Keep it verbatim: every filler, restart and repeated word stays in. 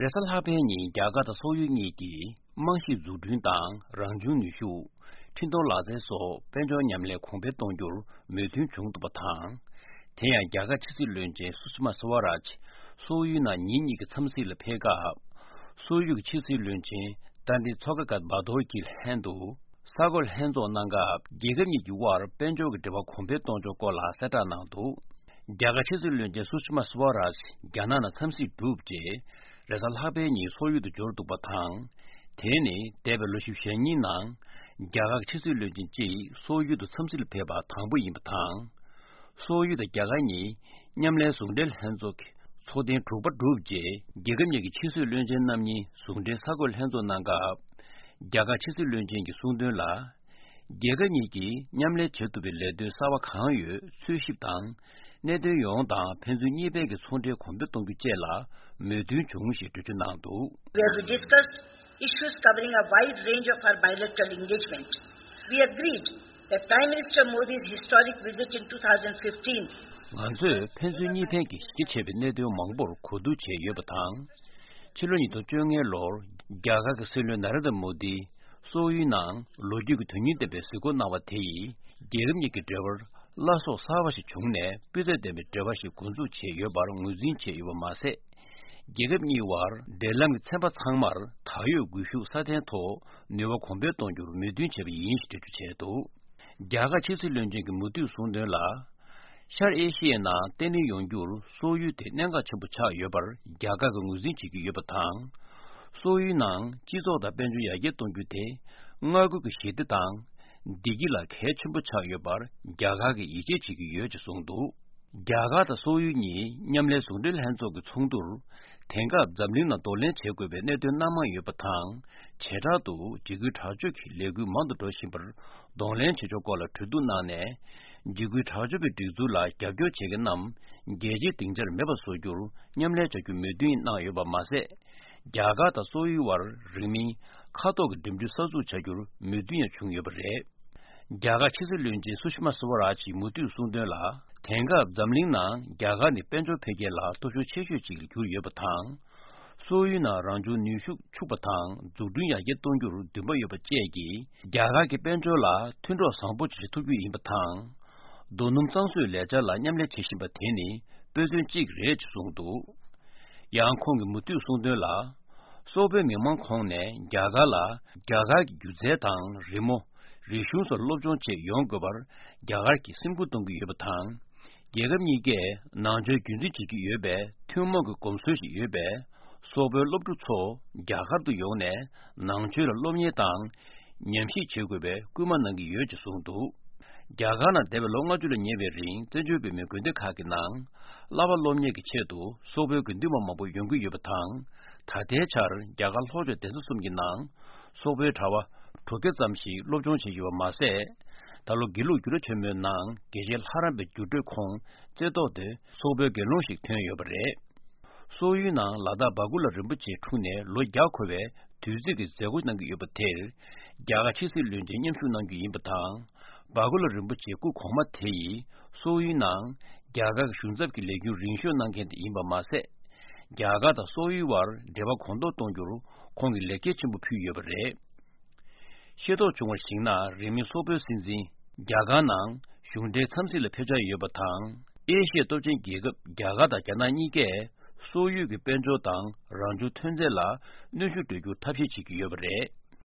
རེས་གཟའ་ལྷག་པའི་ཉིན་རྒྱ་གར་དང་སོག་ཡུལ་གཉིས་ཀྱིས་རྨང་གཞིའི་འཛུགས་སྐྲུན་དང་རང་བྱུང་ནུས་ཤུགས། འཕྲིན་གཏོང་ལག་རྩལ་སོགས་དཔལ་འབྱོར་མཉམ་ལས་གོང་འཕེལ་གཏོང་རྒྱུར་མོས་མཐུན་བྱུང་འདུག་པ་དང་། དེ་ཡང་རྒྱ་གར་ཕྱི་སྲིད་བློན་ཆེན་སུ་ཤི་མ་སུ་ཝ་རཱཇ་སོག་ཡུལ་ནང་ཉིན་གཉིས་ཀྱི་འཚམས་གཟིགས་ལ་ཕེབས་སྐབས། སོག་ཡུལ་གྱི་ཕྱི་སྲིད་བློན་ཆེན་ཏཱན་ཏི་ཚོ་ཀ་གྷ་བྷ་དོར་གྱིས་ལྷན་དུ། གསར་འགོད་ལྷན་ཚོགས་གནང་སྐབས། རྒྱལ་ཁབ་གཉིས་ཀྱི་དབར་དཔལ་འབྱོར་གྱི་འབྲེལ་བ་གོང་འཕེལ་གཏོང་ཕྱོགས་སྐོར་ལ་གསལ་བསྒྲགས་གནང་འདུག་རྒྱ་གར་ཕྱི་སྲིད་བློན་ཆེན་སུ་ཤི་མ་སུ་ཝ་རཱཇ་རྒྱ་ནག་ནང་འཚམས་གཟིགས་གྲུབ་རྗེས། རེས་གཟའ་ལྷག་པའི་ཉིན་སོག་ཡུལ་དུ་འབྱོར་འདུག་པ་དང་། དེ་ནི་འདས་པའི་ལོ་བཞི་བཅུ་ཞེ་གཉིས་ནང་རྒྱ་གར་གྱི་ཕྱི་སྲིད་བློན་ཆེན་གཅིག་སོག་ཡུལ་དུ་འཚམས་གཟིགས་ལ་ཕེབས་པ་དང་པོ་ཡིན་པ་དང་། སོག་ཡུལ་དང་རྒྱ་གར་གཉིས་མཉམ་ལས་ཟུང་འབྲེལ་ལྷན་ཚོགས་ཀྱི་ཚོགས་ཐེངས་དྲུག་པ་གྲུབ་རྗེས། རྒྱལ་ཁབ་གཉིས་ཀྱི་ཕྱི་སྲིད་བློན་ཆེན་རྣམ་གཉིས་ཟུང་འབྲེལ་གསར་འགོད་ལྷན་ཚོགས་གནང་སྐབས། རྒྱ་གར་ཕྱི་སྲིད་བློན་ཆེན་གྱིས་གསུངས་དོན་ལ། རྒྱལ་ཁབ་གཉིས་ཀྱིས་མཉམ་ལས་བྱེད་ཐུབ་པའི་ལས་དོན་གསར་བ་གང་ཡོད་འཚོལ་ཞིབ་དང་། གནད་དོན་ཡོངས་དང་ཕན་ཚུན་གཉིས་ཕན་གྱི་ཚོང་འབྲེལ་གོང་འཕེལ་གཏོང་རྒྱུ་བཅས་ལ་མོས་མཐུན་བྱུང་ཞེས་འགྲེལ་བརྗོད་གནང་འདུག where we discussed issues covering a wide range of our bilateral engagement. We agreed that Prime Minister Modi's historic visit in two thousand fifteen ང་ཚོས་ཕན་ཚུན་གཉིས་ཕན་གྱི་གཞི་བྱས་པའི་གནད་དོན་མང་པོར་གོ་བསྡུར་བྱས་ཡོད་པ་དང་། ཕྱི་ལོ་ཉིས་སྟོང་བཅོ་ལྔ་ལོར་རྒྱ་གར་གྱི་སྲིད་བློན་ན་རེན་དྲ་མོ་དི་སོག་ཡུལ་ནང་ལོ་རྒྱུས་ཀྱི་དོན་སྙིང་ལྡན་པའི་གཟིགས་སྐོར་གནང་བ་དེ་ཡིས་རྒྱལ་ཁབ་གཉིས་ཀྱི་འབྲེལ་བར་བླ་སྲོག་གསར་པ་ཞིག་བྱུང་ནས་སྤུས་ཚད་ལྡན་པའི་འབྲེལ་བ་ཞིག་འགོ་འཛུགས་བྱས་ཡོད་པར་ངོས་འཛིན་བྱས་ཡོད་པ་མ་ཟད། རྒྱལ་ཁབ་གཉིས་དབར་འབྲེལ་ལམ་གྱི་ཚན་པ་ཚང་མར་ད་ཡོད་སྒུལ་ཤུགས་སྲ་བརྟན་ཐོག་ནུས་པ་གོང་འཕེལ་གཏོང་རྒྱུར་མོས་མཐུན་བྱས་པ་ཡིན་ཞེས་འགྲེལ་བརྗོད་བྱས་འདུག་རྒྱ་གར་ཕྱི་སྲིད་བློན་ཆེན་གྱིས་མུ་མཐུད་གསུངས་དོན་ལ། ཤར་ཨེ་ཤི་ཡའི་ནང་བརྟན་ལྷིང་ཡོང་རྒྱུར་སོག་ཡུལ་དེ་གནད་འགག་ཆེན་པོ་ཆགས་ཡོད་པར་རྒྱ་གར་གྱིས་ངོས་འཛིན་བྱེད་ཀྱི་ཡོད་པ་དང་། སོག་ཡུལ་ནང་སྤྱི་ཚོགས་དང་དཔལ་འབྱོར་ཡར་རྒྱས་གཏོང་རྒྱུ་དེ་མངའ་ཁུལ་གྱི་ཞི་བདེ་དང་བདེ་སྐྱིད་ལ་གལ་ཆེན་པོ་ཆགས་ཡོད་པར་རྒྱ་གར་གྱིས་ཡིད་ཆེས་བྱེད་ཀྱི་ཡོད་ཅེས་གསུངས་འདུག་རྒྱ་གར་དང་སོག་ཡུལ་གཉིས་མཉམ་ལས་ཟུང་འབྲེལ་ལྷན་ཚོགས་ཀྱི་ཚོགས་འདུར། དེང་སྐབས་འཛམ་གླིང་ནང་གདོང་ལེན་བྱེད་དགོས་པའི་གནད་དོན་སྣ་མང་ཡོད་པ་དང་། བྱེ་བྲག་ཏུ་འཇིགས་སྐུལ་དྲག་སྤྱོད་ཀྱི་ལས་འགུལ་མང་དུ་འགྲོ་བཞིན་པར་གདོང་ལེན་བྱེད་ཕྱོགས་སྐོར་ལ་གྲོས་བསྡུར་གནང་ནས། འཇིགས་སྐུལ་དྲག་སྤྱོད་པའི་སྒྲིག་འཛུགས་ལ་རྒྱབ་སྐྱོར་བྱེད་མཁན་རྣམས་རྒྱལ་སྤྱིའི་སྡིངས་ཆར་མེད་པ་བཟོ་རྒྱུར་མཉམ་ལས་བྱ་རྒྱུ་མོས་མཐུན་གནང་ཡོད་པ་མ་ཟད། རྒྱ་གར་དང་སོག་ཡུལ་དབར་རིང་མིན་མཁའ་ཐོག་གི་འགྲིམ་འགྲུལ་གསར་འཛུགས་བྱ་རྒྱུར་མོས་མཐུན་ཡང་བྱུང་ཡོད་པ་རེད། རྒྱ་གར་ཕྱི་སྲིད་བློན་ཆེན་སུ་ཤི་མ་སུ་ཝ་རཱ་ཇིས་མུ་མཐུད་གསུངས་དོན་ལ། དེང་སྐབས་འཛམ་གླིང་ནང་རྒྱ་གར་ནི་དཔལ་འབྱོར་འཕེལ་རྒྱས་ལ་སྟོབས་ཤུགས་ཆེ་ཤོས་ཤིག་གྱུར་ཡོད་པ་དང་། སོག་ཡུལ་ནང་རང་བྱུང་ནུས་ཤུགས་ཕྱུག་པ་དང་འཛུགས་སྐྲུན་ཡར་རྒྱས་གཏོང་རྒྱུར་འདུན་པ་ཡོད་པ་བཅས་ཀྱིས། རྒྱ་གར་གྱི་དཔལ་འབྱོར་ལ་མཐུན་གྲོགས་བཟང་པོ་ཞིག་བྱེད་ཐུབ་རྒྱུ་ཡིན་པ་དང་། རྡོ་སྣུམ་གཙང་བཟོའི་ལས་འཆར་ལ་མཉམ་ལས་བྱེད་བཞིན་པ་དེ་ནི་དཔེ་མཚོན་གཅིག་རེད་ཅེས་གསུངས་འདུག་ཡང་ཁོང་གིས་མུ་མཐུད་གསུངས་དོན་ལ། སོག་པོའི་མི་མང་ཁོངས་ནས་རྒྱ་གར་ལ་རྒྱ་གར་གྱི་སྒྱུ་རྩལ་དང་རི་མོ། རིག་གཞུང་སོགས་སློབ་སྦྱོང་ཆེད་ཡོང་དགོས་པར་རྒྱ་གར་གྱིས་སེམས་ཁུར་གཏོང་གི་ཡོད་པ་དང་། རྒྱལ་ཁབ་གཉིས་ཀས་ནང་ཆོས་རྒྱུན་འཛིན་བྱེད་ཀྱི་ཡོད་པའི་ཐུན་མོང་གི་གོམས་སྲོལ་ཞིག་ཡོད་པས། སོག་པོའི་སློབ་ཕྲུག་ཚོ་རྒྱ་གར་དུ་ཡོང་ནས་ནང་ཆོས་ལ་སློབ་གཉེར་དང་། ཉམས་ཞིབ་བྱེད་དགོས་པའི་སྐུལ་མ་གནང་གི་ཡོད་ཅེས་གསུངས་འདུག་རྒྱ་གར་ནང་འདས་པའི་ལོ་ལྔ་བཅུ་ལ་ཉེ་བའི་རིང་བཙན་བྱོལ་བོད་མིའི་དགོན་སྡེ་ཁག་གི་ནང་བསླབ་པ་སློབ་གཉེར་གྱི་ཆེད་དུ་སོག་པོའི་དགེ་འདུན་པ་མང་པོ་ཡོང་གི་ཡོད་པ་དང་། ད་ལྟའི་ཆར་རྒྱ་གར་ལྷོ་ཕྱོགས་གདན་ས་གསུམ་གྱི་ནང་སོག་པོའི་གྲྭ་པ་དྲུག་བརྒྱ་ཙམ་ཞིག་སློབ་སྦྱོང་བྱས་ཡོད་པ་མ་ཟད། ད་ལོ་དགེ་ལུགས་འགྱུར་བ་ཆེན་མོའི་ནང་དགེ་ཆེ་ལྷ་རམས་པའི་འགྱུར་འགྲོས་ཁོངས་རྩེ་ཏོག་ཏུ་སོག་པོའི་དགེ་སློང་ཞིག་ཐོན་ཡོད་པ་རེད། སོག་ཡུལ་ནང་ལ་དྭགས་སྦ་ཀུ་ལ་རིན་པོ་ཆེ་འཁྲུངས་ནས་ལོ་བརྒྱ་འཁོར་བའི་དུས་ཚིགས་ཀྱི་མཛད་སྒོ་གནང་གི་ཡོད་པ་དེར། རྒྱ་གར་ཕྱི་སྲིད་བློན་ཆེན་མཉམ་ཞུགས་གནང་རྒྱུ་ཡིན་པ་དང་། སྦ་ཀུ་ལ་རིན་པོ་ཆེའི་སྐུ་གོང་མ་དེ་ཡིས་སོག་ཡུལ་ནང་རྒྱ་གར་གྱི་གཞུང་ཚབ་ཀྱི་ལས་འགན་རིང་ཤོས་གནང་མཁན་དེ་ཡིན་པ་མ་ཟད། རྒྱ་གར་དང་སོག་ཡུལ་བར་འབྲེལ་བ་གོང་མཐོར་གཏོང་རྒྱུར་ཁོང་གིས་ལེགས་སྐྱེས་ཆེན་པོ་ཕུལ་ཡོད་པ་རེད། ཤེས་རྟོགས་བྱུང་བར་གཞིགས་ན། རིང་མིན་སོག་པོའི་སྲིད་འཛིན་རྒྱ་གར་ནང་གཞུང་འབྲེལ་འཚམས་གཟིགས་ལ་ཕེབས་འཆར་ཡོད་པ་དང་། ཨེ་ཤི་ཡའི་སྟོབས་ཆེན་རྒྱལ་ཁབ་རྒྱ་གར་དང་རྒྱ་ནག་གཉིས་ཀས་སོག་ཡུལ་གྱི་དཔལ་འབྱོར་དང་རང་བྱུང་ཐོན་རྫས་ལ་གནོན་ཤུགས་སྤྲོད་རྒྱུར་ཐབས་ཤེས་བྱེད་ཀྱི་ཡོད་པ་རེད།